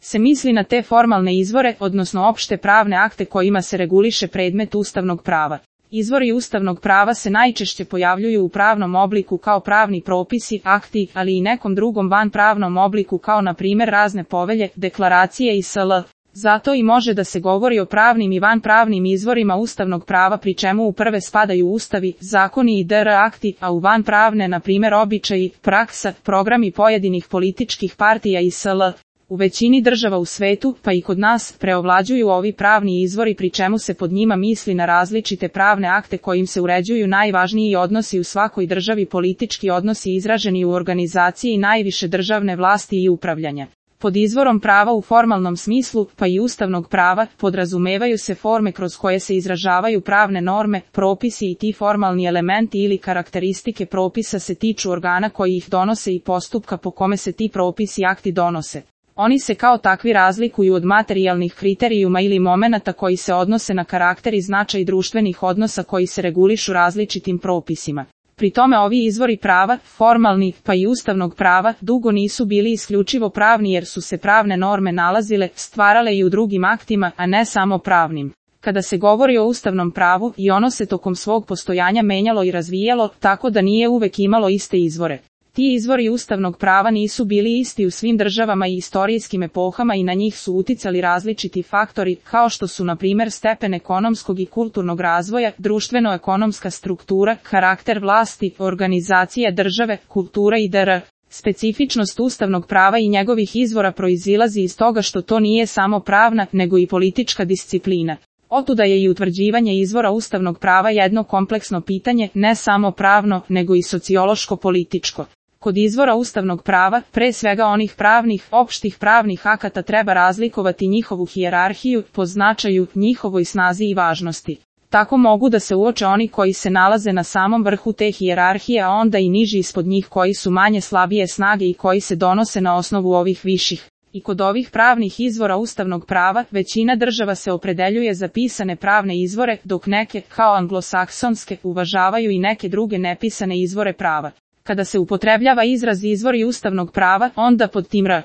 se misli na te formalne izvore, odnosno opšte pravne akte kojima se reguliše predmet ustavnog prava. Izvori ustavnog prava se najčešće pojavljuju u pravnom obliku kao pravni propisi, akti, ali i nekom drugom vanpravnom obliku kao na primjer razne povelje, deklaracije i sl. Zato i može da se govori o pravnim i vanpravnim izvorima ustavnog prava, pri čemu u prve spadaju ustavi, zakoni i dr akti, a u vanpravne na primjer običaji, praksa, programi pojedinih političkih partija i sl. U većini država u svetu, pa i kod nas, preovlađuju ovi pravni izvori, pri čemu se pod njima misli na različite pravne akte kojim se uređuju najvažniji odnosi u svakoj državi, politički odnosi izraženi u organizaciji najviše državne vlasti i upravljanja. Pod izvorom prava u formalnom smislu, pa i ustavnog prava, podrazumevaju se forme kroz koje se izražavaju pravne norme, propisi i ti formalni elementi ili karakteristike propisa se tiču organa koji ih donose i postupka po kome se ti propisi i akti donose. Oni se kao takvi razlikuju od materijalnih kriterijuma ili momenata koji se odnose na karakter i značaj društvenih odnosa koji se regulišu različitim propisima. Pri tome ovi izvori prava, formalni, pa i ustavnog prava, dugo nisu bili isključivo pravni jer su se pravne norme nalazile, stvarale i u drugim aktima, a ne samo pravnim. Kada se govori o ustavnom pravu, i ono se tokom svog postojanja menjalo i razvijalo, tako da nije uvek imalo iste izvore. Ti izvori ustavnog prava nisu bili isti u svim državama i istorijskim epohama i na njih su uticali različiti faktori, kao što su na primjer stepen ekonomskog i kulturnog razvoja, društveno-ekonomska struktura, karakter vlasti, organizacija države, kultura i dr. Specifičnost ustavnog prava i njegovih izvora proizilazi iz toga što to nije samo pravna, nego i politička disciplina. Otuda je i utvrđivanje izvora ustavnog prava jedno kompleksno pitanje, ne samo pravno, nego i sociološko-političko. Kod izvora ustavnog prava, pre svega onih pravnih, opštih pravnih akata, treba razlikovati njihovu hijerarhiju, po značaju, njihovoj snazi i važnosti. Tako mogu da se uoče oni koji se nalaze na samom vrhu te hijerarhije, a onda i niži ispod njih koji su manje slabije snage i koji se donose na osnovu ovih viših. I kod ovih pravnih izvora ustavnog prava, većina država se opredeljuje za pisane pravne izvore, dok neke, kao anglosaksonske, uvažavaju i neke druge nepisane izvore prava. Kada se upotrebljava izraz izvori ustavnog prava, onda pod tim R.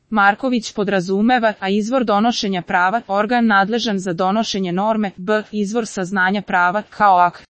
Marković podrazumeva, a izvor donošenja prava, organ nadležan za donošenje norme, B. Izvor saznanja prava, kao akt.